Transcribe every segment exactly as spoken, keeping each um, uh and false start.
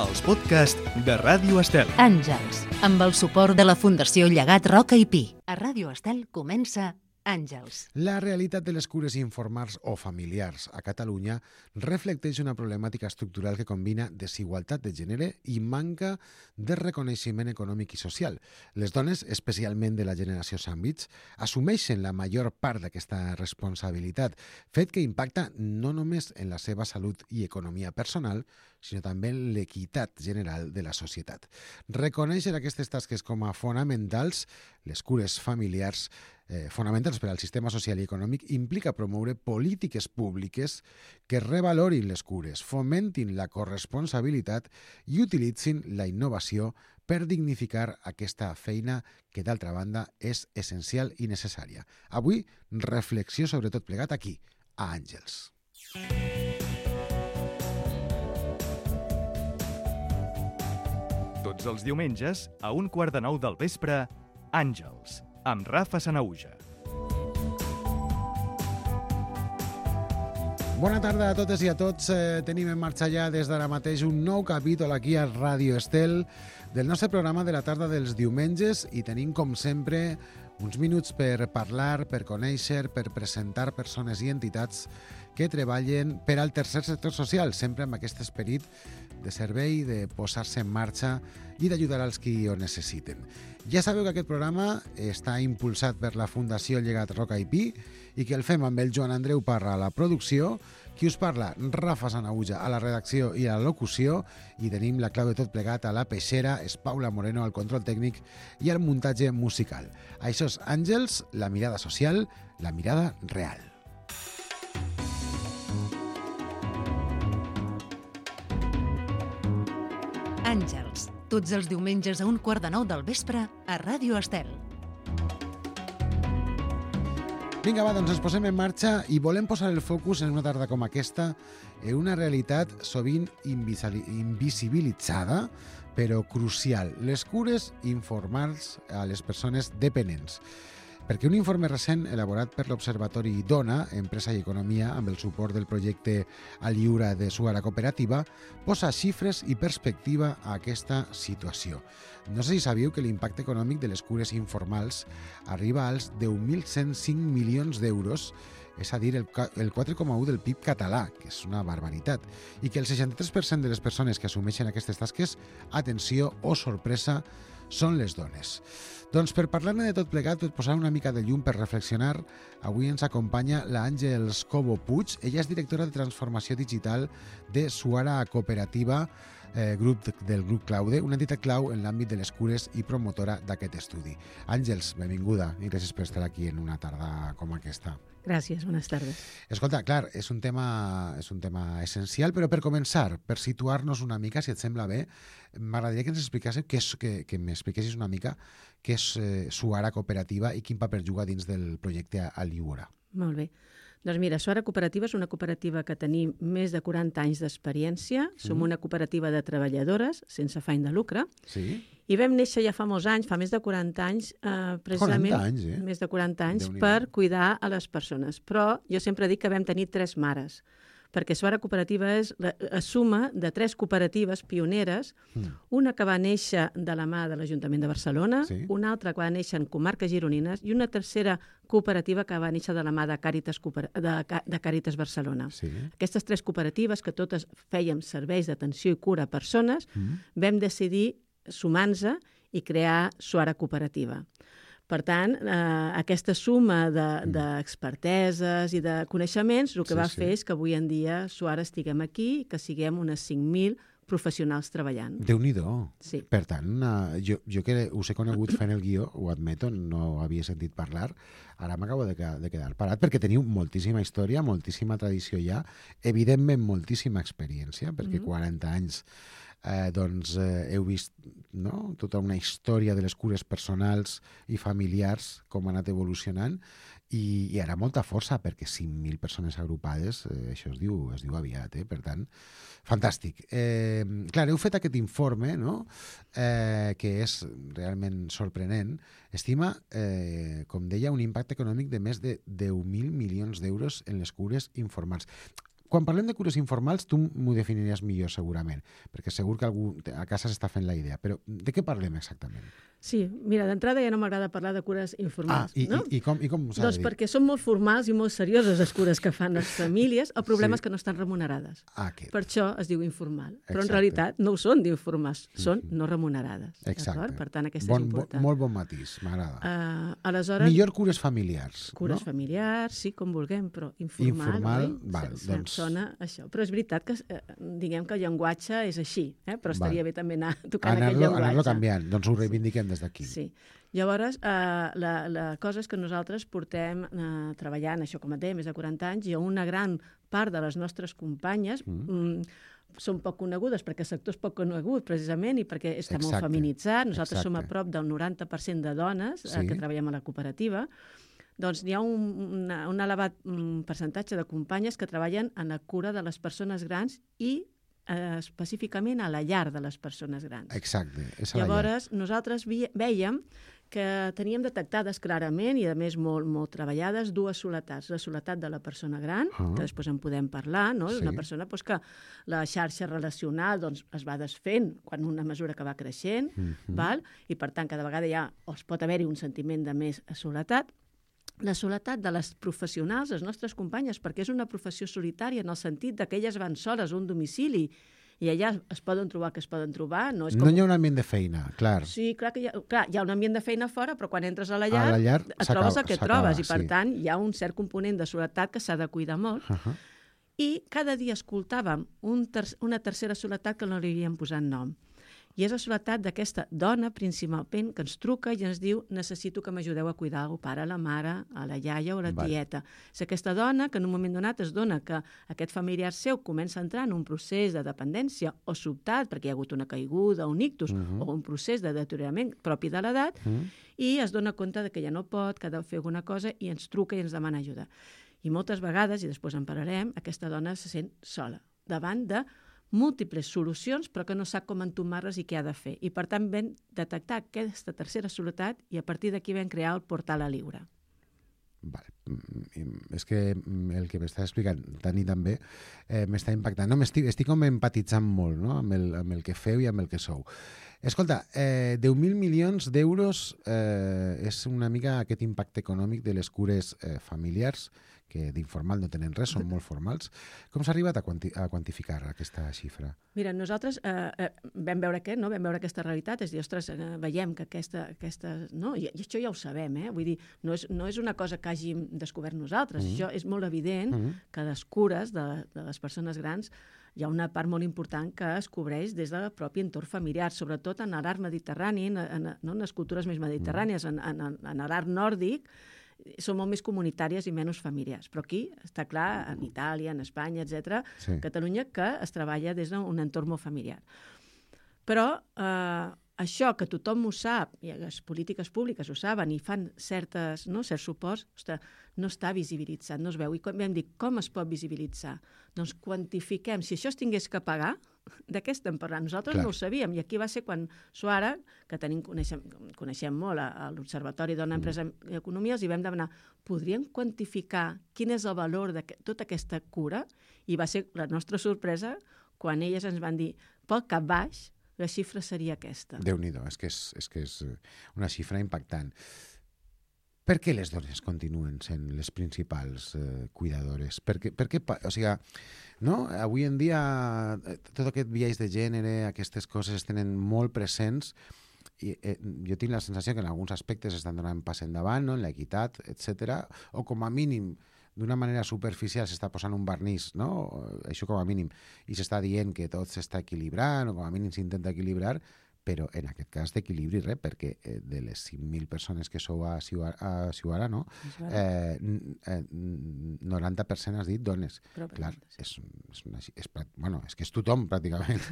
els podcasts de Ràdio Estel. Àngels, amb el suport de la Fundació Llegat Roca i Pi. A Ràdio Estel comença Àngels. La realitat de les cures informars o familiars a Catalunya reflecteix una problemàtica estructural que combina desigualtat de gènere i manca de reconeixement econòmic i social. Les dones, especialment de la generació sàndwich, assumeixen la major part d'aquesta responsabilitat, fet que impacta no només en la seva salut i economia personal, sinó també en l'equitat general de la societat. Reconèixer aquestes tasques com a fonamentals, les cures familiars, eh, fonamentals per al sistema social i econòmic, implica promoure polítiques públiques que revalorin les cures, fomentin la corresponsabilitat i utilitzin la innovació per dignificar aquesta feina que, d'altra banda, és essencial i necessària. Avui, reflexió sobre tot plegat aquí, a Àngels. Tots els diumenges, a un quart de nou del vespre, Àngels, amb Rafa Sanahuja. Bona tarda a totes i a tots. Eh, tenim en marxa ja des d'ara mateix un nou capítol aquí a Ràdio Estel del nostre programa de la tarda dels diumenges i tenim, com sempre, uns minuts per parlar, per conèixer, per presentar persones i entitats que treballen per al tercer sector social, sempre amb aquest esperit de servei, de posar-se en marxa i d'ajudar als qui ho necessiten. Ja sabeu que aquest programa està impulsat per la Fundació Llegat Roca i Pi i que el fem amb el Joan Andreu Parra a la producció, qui us parla, Rafa Sanahuja, a la redacció i a la locució, i tenim la clau de tot plegat a la peixera, és Paula Moreno al control tècnic i al muntatge musical. Això és Àngels, la mirada social, la mirada real. Àngels, tots els diumenges a un quart de nou del vespre a Ràdio Estel. Vinga, va, doncs ens posem en marxa i volem posar el focus en una tarda com aquesta en una realitat sovint invisibilitzada, però crucial, les cures informals a les persones dependents. Perquè un informe recent elaborat per l'Observatori Dona, Empresa i Economia, amb el suport del projecte Aliura de Suara Cooperativa, posa xifres i perspectiva a aquesta situació. No sé si sabíeu que l'impacte econòmic de les cures informals arriba als deu mil cent cinc milions d'euros, és a dir, el quatre coma u del P I B català, que és una barbaritat, i que el seixanta-tres per cent de les persones que assumeixen aquestes tasques, atenció o sorpresa, són les dones. Doncs per parlar-ne de tot plegat, per posar una mica de llum, per reflexionar, avui ens acompanya l'Àngels Cobo Puig. Ella és directora de transformació digital de Suara Cooperativa, eh, grup del grup Claude, una entitat clau en l'àmbit de les cures i promotora d'aquest estudi. Àngels, benvinguda i gràcies per estar aquí en una tarda com aquesta. Gràcies, bones tardes. Escolta, clar, és un tema, és un tema essencial, però per començar, per situar-nos una mica, si et sembla bé, m'agradaria que ens expliquessis, que, és, que, que m'expliquessis una mica què és eh, Suara Cooperativa i quin paper juga dins del projecte Aliura. Molt bé. Doncs mira, Suara Cooperativa és una cooperativa que tenim més de quaranta anys d'experiència. Som mm. una cooperativa de treballadores sense afany de lucre. Sí. I vam néixer ja fa molts anys, fa més de quaranta anys, eh, precisament quaranta anys, eh? més de quaranta anys, per cuidar a les persones. Però jo sempre dic que vam tenir tres mares, perquè Suara Cooperativa és la, la suma de tres cooperatives pioneres, mm. una que va néixer de la mà de l'Ajuntament de Barcelona, sí. una altra que va néixer en comarques gironines i una tercera cooperativa que va néixer de la mà de Càritas, de, de Càritas Barcelona. Sí. Aquestes tres cooperatives, que totes fèiem serveis d'atenció i cura a persones, mm. vam decidir sumar-nos i crear Suara Cooperativa. Per tant, eh, aquesta suma d'experteses de, i de coneixements el que sí, va sí. fer és que avui en dia Suara estiguem aquí, que siguem unes cinc mil professionals treballant. Déu-n'hi-do. Sí. Per tant, uh, jo, jo que us he conegut fent el guió, ho admeto, no havia sentit parlar, ara m'acabo de, de quedar parat, perquè teniu moltíssima història, moltíssima tradició ja, evidentment moltíssima experiència, perquè mm-hmm. quaranta anys eh, doncs, eh, heu vist no? tota una història de les cures personals i familiars, com ha anat evolucionant, i, i ara molta força, perquè cinc mil persones agrupades, eh, això es diu, es diu aviat, eh? Per tant, fantàstic. Eh, clar, heu fet aquest informe, no? eh, que és realment sorprenent. Estima, eh, com deia, un impacte econòmic de més de deu mil milions d'euros en les cures informals. quan parlem de cures informals, tu m'ho definiries millor segurament, perquè segur que algú a casa s'està fent la idea, però de què parlem exactament? Sí, mira, d'entrada ja no m'agrada parlar de cures informals. Ah, i, no? i, i com, i com s'ha Doncs de dir? perquè són molt formals i molt serioses les cures que fan les famílies, el problema sí. és que no estan remunerades. Ah, aquest. Per això es diu informal. Però Exacte. en realitat no ho són d'informals, són Mm-hmm. no remunerades. Exacte. Per tant, aquesta bon, és important. Bon, molt bon matís, m'agrada. Uh, aleshores, Millor cures familiars, cures no? familiars, sí, com vulguem, però informal, Informal, oi? val, Se- doncs- Sona això. Però és veritat que, eh, diguem que el llenguatge és així, eh? Però estaria Val. bé també anar tocant aquest Anar-lo llenguatge. anar canviant, doncs ho reivindiquem des d'aquí. Sí. Llavors, eh, la, la cosa és que nosaltres portem eh, treballant, això com et deia, més de quaranta anys, i una gran part de les nostres companyes mm. Mm, són poc conegudes, perquè el sector és poc conegut, precisament, i perquè està Exacte. molt feminitzat. Nosaltres Exacte. som a prop del noranta per cent de dones Sí. eh, que treballem a la cooperativa. Doncs hi ha un, una, un elevat um, percentatge de companyes que treballen en la cura de les persones grans i eh, específicament a la llar de les persones grans. Exacte, és a la llar. Llavors, nosaltres vi vèiem que teníem detectades clarament i, a més, molt, molt treballades, dues soletats. La soletat de la persona gran, Ah. que després en podem parlar, no? Sí. Una persona doncs, que la xarxa relacional doncs, es va desfent quan una mesura que va creixent, Mhm. val? I, per tant, cada vegada ja es pot haver-hi un sentiment de més soletat. La soledat de les professionals, les nostres companyes, perquè és una professió solitària en el sentit de que elles van soles a un domicili i allà es poden trobar que es poden trobar. No, és com... No hi ha un ambient de feina, clar. Sí, clar que hi ha, clar, hi ha un ambient de feina fora, però quan entres a la llar, A la llar et s'acaba- trobes el que s'acaba, trobes, i per sí. tant hi ha un cert component de soledat que s'ha de cuidar molt. Uh -huh. I cada dia escoltàvem un ter una tercera soledat que no li havíem posat nom. I és la soledat d'aquesta dona, principalment, que ens truca i ens diu necessito que m'ajudeu a cuidar el pare, la mare, a la iaia o la Val. tieta. És aquesta dona que en un moment donat es dona que aquest familiar seu comença a entrar en un procés de dependència o sobtat, perquè hi ha hagut una caiguda, un ictus, uh -huh. o un procés de deteriorament propi de l'edat, uh -huh. i es dona compte de que ja no pot, que ha de fer alguna cosa, i ens truca i ens demana ajuda. I moltes vegades, i després en parlarem, aquesta dona se sent sola, davant de múltiples solucions, però que no sap com entomar-les i què ha de fer. I, per tant, vam detectar aquesta tercera soledat i a partir d'aquí vam crear el portal a Liure. Vale. Mm, És que el que m'estàs explicant tant i tan bé eh, m'està impactant. No, estic, estic com empatitzant molt, no? amb, el, amb el que feu i amb el que sou. Escolta, eh, deu mil milions d'euros eh, és una mica aquest impacte econòmic de les cures eh, familiars, que d'informal no tenen res, són molt formals. Com s'ha arribat a, quanti a quantificar aquesta xifra? Mira, nosaltres eh, eh, vam veure aquest, no? Vam veure aquesta realitat, és a dir, ostres, eh, veiem que aquesta... aquesta no? I, I això ja ho sabem, eh? Vull dir, no és, no és una cosa que hàgim descobert nosaltres, mm -hmm. això és molt evident mm -hmm. que les cures de, de les persones grans hi ha una part molt important que es cobreix des del propi entorn familiar, sobretot en l'art mediterrani, en, en, no? en les cultures més mediterrànies, en, en, en l'art nòrdic, són molt més comunitàries i menys familiars. Però aquí està clar, en Itàlia, en Espanya, etcètera, Sí. Catalunya, que es treballa des d'un entorn molt familiar. Però eh, això que tothom ho sap, i les polítiques públiques ho saben i fan certes, no, certs suports, ostres, no està visibilitzat, no es veu. I com vam dir, com es pot visibilitzar? Doncs quantifiquem. Si això es tingués que pagar, de què estem parlant? Nosaltres Clar. no ho sabíem. I aquí va ser quan Suara, que tenim, coneixem, coneixem molt a, a l'Observatori Dona, Empresa i Economia, els hi vam demanar, podríem quantificar quin és el valor de tota aquesta cura? I va ser la nostra sorpresa quan elles ens van dir, pel cap baix, la xifra seria aquesta. Déu-n'hi-do, és que és, és que és una xifra impactant. Per què les dones continuen sent les principals eh, cuidadores? Per què, per què, o sigui, no? Avui en dia eh, tot aquest biaix de gènere, aquestes coses es tenen molt presents i eh, jo tinc la sensació que en alguns aspectes estan donant pas endavant, no? En l'equitat, etcètera, o com a mínim d'una manera superficial s'està posant un vernís, no? Això com a mínim, i s'està dient que tot s'està equilibrant, o com a mínim s'intenta equilibrar, però en aquest cas d'equilibri res, perquè eh, de les cinc mil persones que sou a Ciuara, no? Eh, eh, noranta per cent has dit dones. Però, Clar, és, és, una, és, bueno, és que és tothom, pràcticament.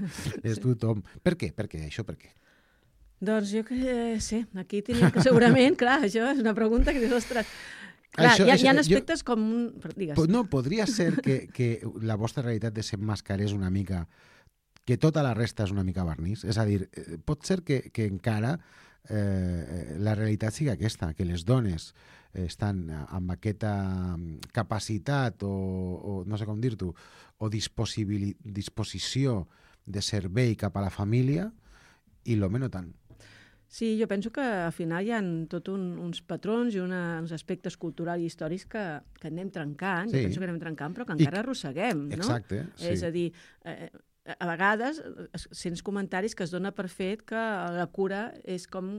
És tothom. Per què? Per què? Això per què? Doncs jo que eh, sé, aquí tenim que segurament, clar, això és una pregunta que dius, ostres, clar, això, hi, ha, hi ha aspectes jo, com un... Digues. No, podria ser que, que la vostra realitat desemmascarés una mica que tota la resta és una mica vernís? És a dir, pot ser que, que encara eh, la realitat sigui aquesta, que les dones estan amb aquesta capacitat o, o no sé com dir-t'ho, o disposició de servei cap a la família i l'home no tant. Sí, jo penso que al final hi ha tot un, uns patrons i una, uns aspectes culturals i històrics que, que anem trencant, sí. Jo penso que anem trencant, però que encara I... arrosseguem, no? Exacte, sí. És a dir, eh, a vegades sents comentaris que es dona per fet que la cura és com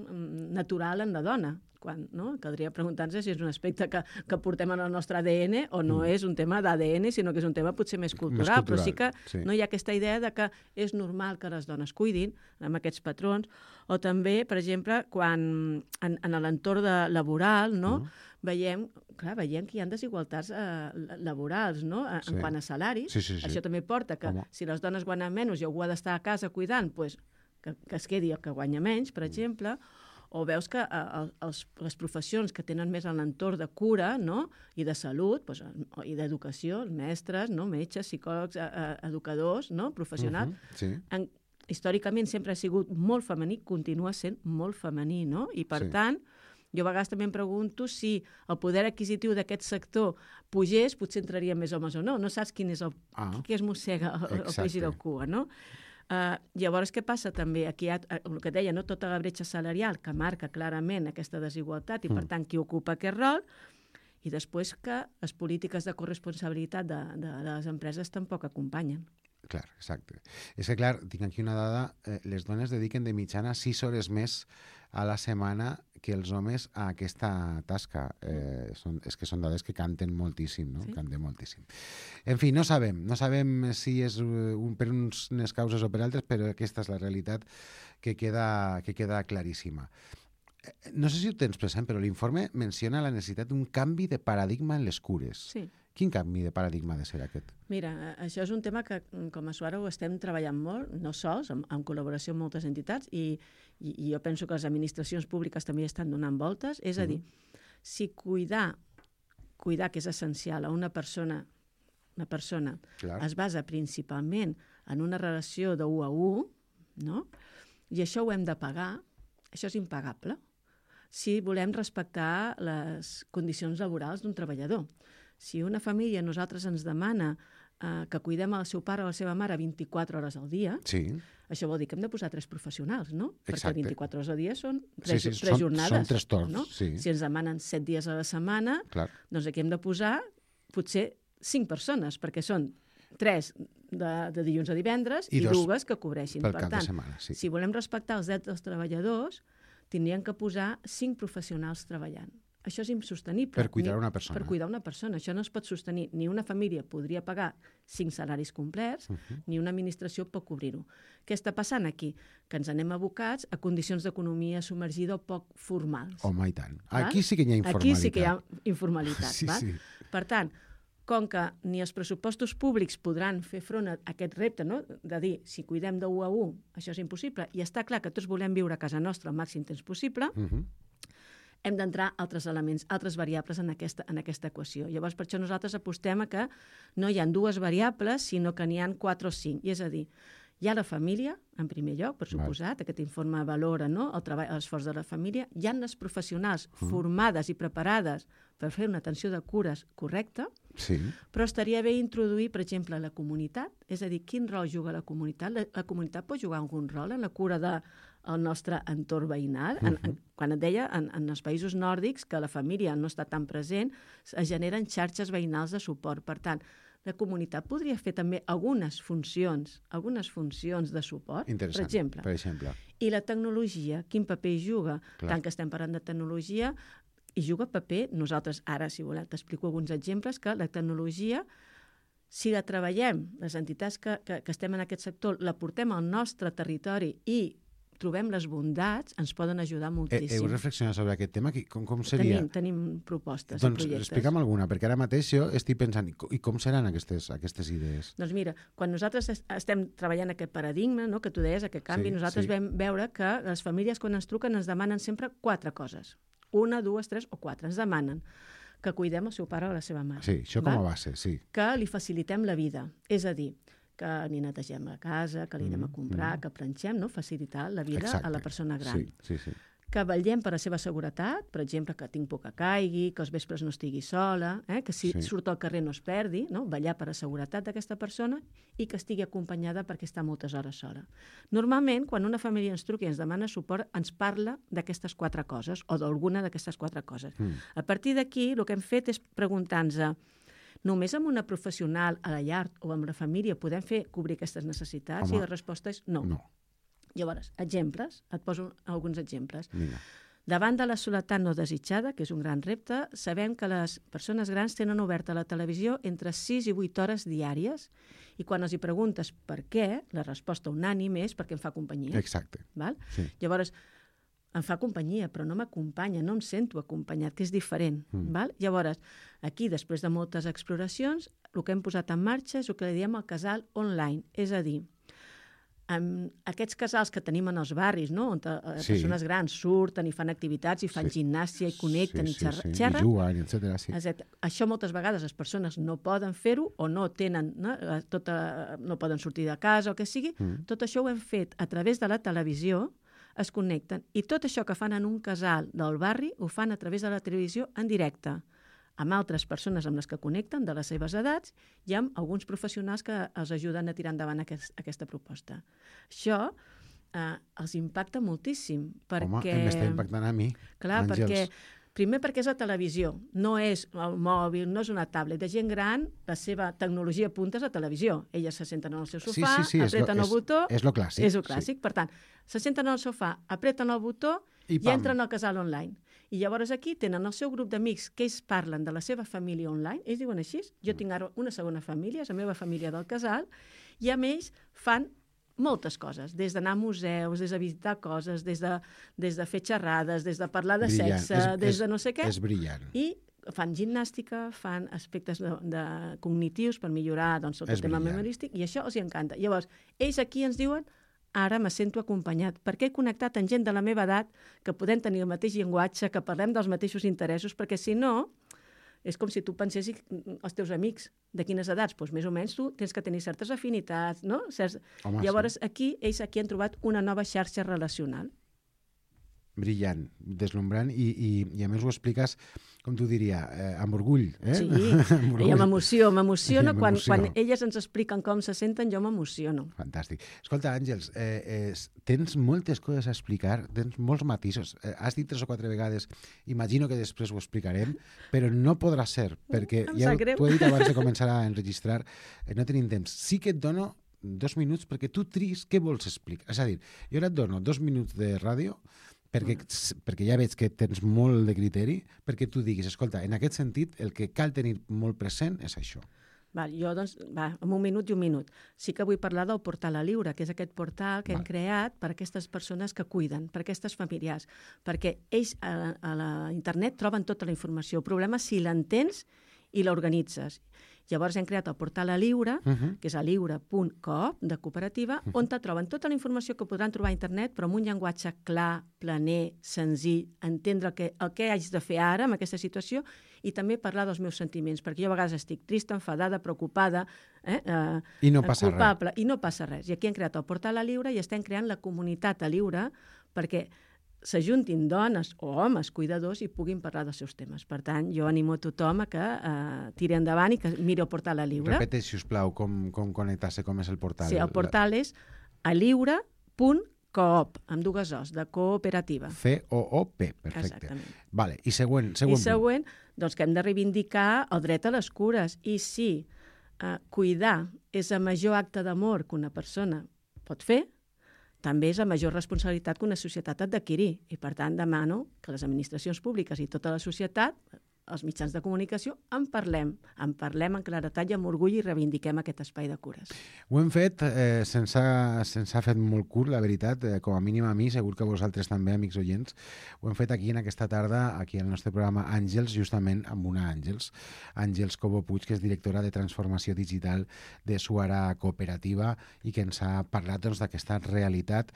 natural en la dona, quan no? Caldria preguntar-nos si és un aspecte que, que portem en el nostre A D N o no mm. és un tema d'A D N, sinó que és un tema potser més cultural, més cultural però sí que sí. No hi ha aquesta idea de que és normal que les dones cuidin amb aquests patrons, o també, per exemple, quan en, en l'entorn de, laboral, no? Mm. veiem, clar, veiem que hi ha desigualtats eh, laborals, no? En sí. quant a salaris. Sí, sí, sí. Això també porta que Home. si les dones guanyen menys i algú ha d'estar a casa cuidant, pues, que, que es quedi el que guanya menys, per exemple, o veus que eh, els, les professions que tenen més en l'entorn de cura, no? I de salut, pues, i d'educació, mestres, no? Metges, psicòlegs, eh, educadors, no? Professionals, uh -huh. sí. en, històricament sempre ha sigut molt femení, continua sent molt femení, no? I per sí. tant, jo a vegades també em pregunto si el poder adquisitiu d'aquest sector pugés, potser entraria més homes o no. No saps quin és el ah. qui es mossega el, el peix i la cua, no? Uh, llavors, què passa també? Aquí hi ha el que deia, no? Tota la bretxa salarial que marca clarament aquesta desigualtat i, mm. per tant, qui ocupa aquest rol, i després que les polítiques de corresponsabilitat de, de, de les empreses tampoc acompanyen. Clar, exacte. És que, clar, tinc aquí una dada, eh, les dones dediquen de mitjana sis hores més a la setmana que els homes a aquesta tasca. Eh, són, és que són dades que canten moltíssim, no? Sí. Canten moltíssim. En fi, no sabem, no sabem si és un, per unes causes o per altres, però aquesta és la realitat que queda, que queda claríssima. No sé si ho tens present, però l'informe menciona la necessitat d'un canvi de paradigma en les cures. Sí. Quin canvi de paradigma ha de ser aquest? Mira, això és un tema que com a Suara ho estem treballant molt, no sols, en, en col·laboració amb moltes entitats, i, i, i jo penso que les administracions públiques també estan donant voltes. És a dir, uh-huh. si cuidar, cuidar, que és essencial, a una persona, una persona Clar. es basa principalment en una relació de u a u, no? I això ho hem de pagar, això és impagable, si volem respectar les condicions laborals d'un treballador. Si una família a nosaltres ens demana eh, que cuidem el seu pare o la seva mare vint-i-quatre hores al dia, sí. això vol dir que hem de posar tres professionals, no? Exacte. Perquè vint-i-quatre hores al dia són tres, sí, sí, tres són, jornades. Són tres torns, no? Sí. Si ens demanen set dies a la setmana, Clar. doncs aquí hem de posar potser cinc persones, perquè són tres de, de dilluns a divendres i, i dues que cobreixin. Per, per tant, tant, setmana, sí. si volem respectar els drets dels treballadors, tindrien que posar cinc professionals treballant. Això és insostenible. Per cuidar una persona. Per cuidar una persona. Això no es pot sostenir. Ni una família podria pagar cinc salaris complets, uh-huh. ni una administració pot cobrir-ho. Què està passant aquí? Que ens anem abocats a condicions d'economia submergida o poc formals. Home, i tant. Aquí sí que hi ha informalitat. Aquí sí que hi ha informalitat. Sí, val? sí. Per tant, com que ni els pressupostos públics podran fer front a aquest repte, no? De dir, si cuidem de u a u, això és impossible, i està clar que tots volem viure a casa nostra el màxim temps possible, uh-huh. hem d'entrar altres elements, altres variables en aquesta, en aquesta equació. Llavors, per això nosaltres apostem a que no hi ha dues variables, sinó que n'hi ha quatre o cinc. I és a dir, hi ha la família, en primer lloc, per suposat, aquest informe valora, no?, el treball, l'esforç de la família. Hi ha les professionals uh-huh. formades i preparades per fer una atenció de cures correcta, sí. però estaria bé introduir, per exemple, la comunitat, és a dir, quin rol juga la comunitat? La, la comunitat pot jugar algun rol en la cura de el nostre entorn veïnal. Uh-huh. en, en, quan et deia, en, en els països nòrdics, que la família no està tan present, es generen xarxes veïnals de suport. Per tant, la comunitat podria fer també algunes funcions, algunes funcions de suport, per exemple. per exemple. I la tecnologia, quin paper hi juga? Clar. Tant que estem parlant de tecnologia, hi juga paper, nosaltres ara, si voleu, t'explico alguns exemples, que la tecnologia, si la treballem, les entitats que, que, que estem en aquest sector, la portem al nostre territori i trobem les bondats, ens poden ajudar moltíssim. Heu reflexionat sobre aquest tema? Com, com seria? Tenim, tenim propostes doncs, i projectes. Explica'm alguna, perquè ara mateix jo estic pensant, i com seran aquestes, aquestes idees? Doncs mira, quan nosaltres estem treballant aquest paradigma, no, que tu deies, aquest canvi, sí, nosaltres sí. vam veure que les famílies, quan ens truquen, ens demanen sempre quatre coses. Una, dues, tres o quatre. Ens demanen que cuidem el seu pare o la seva mare. Sí, això com a base, sí. Que li facilitem la vida. És a dir, que li netegem la casa, que li anem a comprar, mm, mm. que planxem, no? Facilitar la vida Exacte. a la persona gran. Sí, sí, sí. que vetllem per la seva seguretat, per exemple, que tinc por que caigui, que els vespres no estigui sola, eh? que si sí. surt al carrer no es perdi, no? Vetllar per la seguretat d'aquesta persona i que estigui acompanyada perquè està moltes hores sola. Normalment, quan una família ens truca i ens demana suport, ens parla d'aquestes quatre coses o d'alguna d'aquestes quatre coses. Mm. A partir d'aquí, el que hem fet és preguntar-nos només amb una professional a la llar o amb la família podem fer cobrir aquestes necessitats? Home, i la resposta és no. no. Llavors, exemples, et poso alguns exemples. Mira. Davant de la soledat no desitjada, que és un gran repte, sabem que les persones grans tenen oberta la televisió entre sis i vuit hores diàries i quan els hi preguntes per què, la resposta unànime és perquè em fa companyia. Exacte. Val? Sí. Llavors, em fa companyia, però no m'acompanya, no em sento acompanyat, que és diferent. Mm. Val? Llavors, aquí, després de moltes exploracions, el que hem posat en marxa és el que li diem el casal online, és a dir, amb aquests casals que tenim en els barris, no? On les sí. persones grans surten i fan activitats i fan sí. gimnàsia i connecten sí, i xerren. Sí, sí. I juguen, etcètera. Sí. Això moltes vegades les persones no poden fer-ho o no tenen, no? Tota, no poden sortir de casa o que sigui. Mm. Tot això ho hem fet a través de la televisió, es connecten. I tot això que fan en un casal del barri ho fan a través de la televisió en directe, amb altres persones amb les que connecten de les seves edats i amb alguns professionals que els ajuden a tirar endavant aquest, aquesta proposta. Això eh, els impacta moltíssim. Perquè... Home, m'està impactant a mi. Clar, Àngels. perquè, primer perquè és la televisió, no és el mòbil, no és una tablet. De gent gran, la seva tecnologia punta és la televisió. Elles se senten en el seu sofà, sí, sí, sí, apreten és lo, el botó... És el clàssic. És el clàssic. Sí. Per tant, se senten al sofà, apreten el botó i, i entren al casal online. I llavors aquí tenen el seu grup d'amics que ells parlen de la seva família online, ells diuen així, jo tinc ara una segona família, és la meva família del casal, i amb ells fan moltes coses, des d'anar a museus, des de visitar coses, des de, des de fer xerrades, des de parlar de brillant. sexe, és, des de no sé què. És brillant. I fan gimnàstica, fan aspectes de, de cognitius per millorar doncs, el tema memorístic, i això els encanta. Llavors, ells aquí ens diuen ara me sento acompanyat, perquè he connectat amb gent de la meva edat que podem tenir el mateix llenguatge, que parlem dels mateixos interessos, perquè si no, és com si tu pensessis els teus amics de quines edats, doncs més o menys tu tens que tenir certes afinitats, no? Certs... Home, Llavors, sí. aquí, ells aquí han trobat una nova xarxa relacional. Brillant, deslumbrant, i, i, i a més ho expliques, com t'ho diria, eh, amb orgull. Eh? Sí, i amb emoció, m'emociono, quan, quan elles ens expliquen com se senten, jo m'emociono. Fantàstic. Escolta, Àngels, eh, eh, tens moltes coses a explicar, tens molts matisos. Eh, has dit tres o quatre vegades, imagino que després ho explicarem, però no podrà ser, perquè em ja t'ho he dit abans de començar a enregistrar, eh, no tenim temps. Sí que et dono dos minuts perquè tu tris què vols explicar. És a dir, jo ara et dono dos minuts de ràdio perquè, perquè ja veig que tens molt de criteri, perquè tu diguis, escolta, en aquest sentit, el que cal tenir molt present és això. Val, jo, doncs, va, en un minut i un minut. Sí que vull parlar del portal a Lliure, que és aquest portal que Val. hem creat per a aquestes persones que cuiden, per a aquestes familiars, perquè ells a la, a la internet troben tota la informació. El problema és si l'entens i l'organitzes. Llavors hem creat el portal a Lliure, uh -huh. que és a lliure punt coop, de cooperativa, uh -huh. on te troben tota la informació que podran trobar a internet, però amb un llenguatge clar, planer, senzill, entendre el que, el que haig de fer ara en aquesta situació i també parlar dels meus sentiments, perquè jo a vegades estic trista, enfadada, preocupada, eh, eh, I no passa culpable, res. i no passa res. I aquí hem creat el portal a Lliure i estem creant la comunitat a Lliure perquè s'ajuntin dones o homes cuidadors i puguin parlar dels seus temes. Per tant, jo animo a tothom a que eh, tiri endavant i que miri el portal a Lliure. Repeteix, si us plau, com, com connectar-se, com és el portal. Sí, el portal és a lliure punt coop, amb dues os, de cooperativa. C O O P, perfecte. Exactament. Vale. I següent, següent I següent, doncs que hem de reivindicar el dret a les cures. I si eh, cuidar és el major acte d'amor que una persona pot fer, també és la major responsabilitat que una societat ha d'adquirir. I, per tant, demano que les administracions públiques i tota la societat, els mitjans de comunicació, en parlem. En parlem en claretat i amb orgull i reivindiquem aquest espai de cures. Ho hem fet, eh, se'ns ha, se'ns ha fet molt curt, la veritat, eh, com a mínim a mi, segur que a vosaltres també, amics oients. Ho hem fet aquí en aquesta tarda, aquí al nostre programa Àngels, justament amb una Àngels, Àngels Cobo Puig, que és directora de transformació digital de Suara Cooperativa i que ens ha parlat doncs, d'aquesta realitat,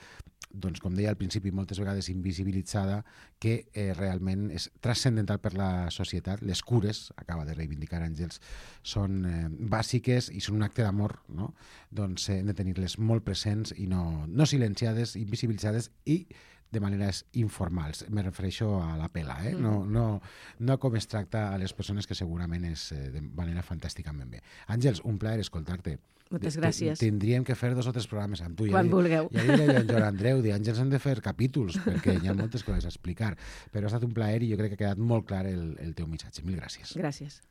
doncs, com deia al principi, moltes vegades invisibilitzada, que eh, realment és transcendental per la societat. Les cures, acaba de reivindicar Àngels, són eh, bàsiques i són un acte d'amor, no? Doncs eh, hem de tenir-les molt presents i no, no silenciades, invisibilitzades i de maneres informals. Me refereixo a la pela, eh? No, no, no com es tracta a les persones, que segurament és eh, de manera fantàsticament bé. Àngels, un plaer escoltar-te. Moltes gràcies. Tindríem que fer dos o tres programes amb tu. Quan ja vulgueu. Ja li deia en Joan Andreu, de Àngels hem de fer capítols, perquè hi ha moltes coses a explicar. Però ha estat un plaer i jo crec que ha quedat molt clar el, el teu missatge. Mil gràcies. Gràcies.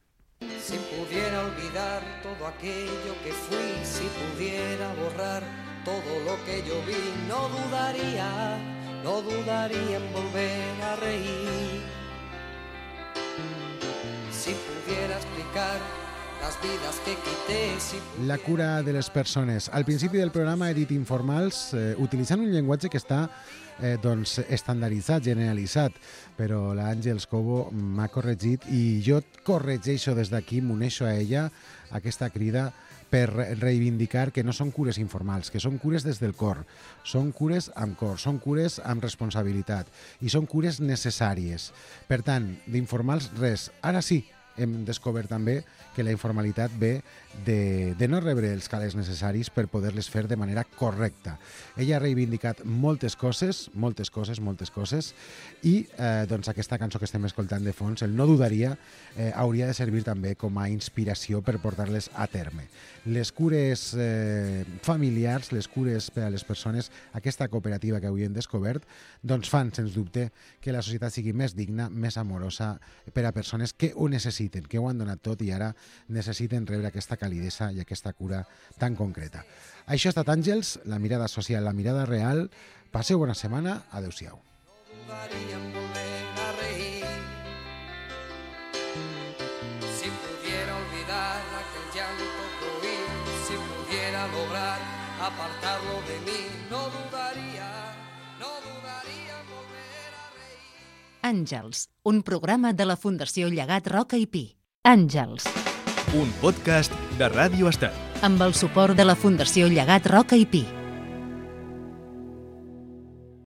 Si pudiera olvidar todo aquello que fui, si pudiera borrar todo lo que yo vi, no dudaría, no dudaría en volver a reír. Si pudiera explicar las vidas que quité, si pudiera... La cura de les persones. Al principi del programa he dit informals, eh, utilitzant un llenguatge que està eh, doncs, estandarditzat, generalitzat, però l'Àngels Cobo m'ha corregit i jo corregeixo des d'aquí, m'uneixo a ella, aquesta crida, per reivindicar que no són cures informals, que són cures des del cor, són cures amb cor, són cures amb responsabilitat i són cures necessàries. Per tant, d'informals res. Ara sí, hem descobert també que la informalitat ve de, de no rebre els calés necessaris per poder-les fer de manera correcta. Ella ha reivindicat moltes coses, moltes coses, moltes coses, i eh, doncs aquesta cançó que estem escoltant de fons, el No dudaria, eh, hauria de servir també com a inspiració per portar-les a terme. Les cures eh, familiars, les cures per a les persones, aquesta cooperativa que avui hem descobert, doncs fan, sens dubte, que la societat sigui més digna, més amorosa per a persones que ho necessiten, que ho han donat tot i ara necessiten rebre aquesta calidesa i aquesta cura tan concreta. Això ha estat Àngels, la mirada social, la mirada real. Passeu bona setmana. Adéu-siau. No dudaría en volver a reír. Si pudiera olvidar aquel llanto que oí, si pudiera lograr apartarlo de mí, no dudaría, no dudaría en volver a reír. Àngels, un programa de la Fundació Llegat Roca i Pi. Àngels, Un podcast de Ràdio Estat. amb el suport de la Fundació Llegat Roca i Pi.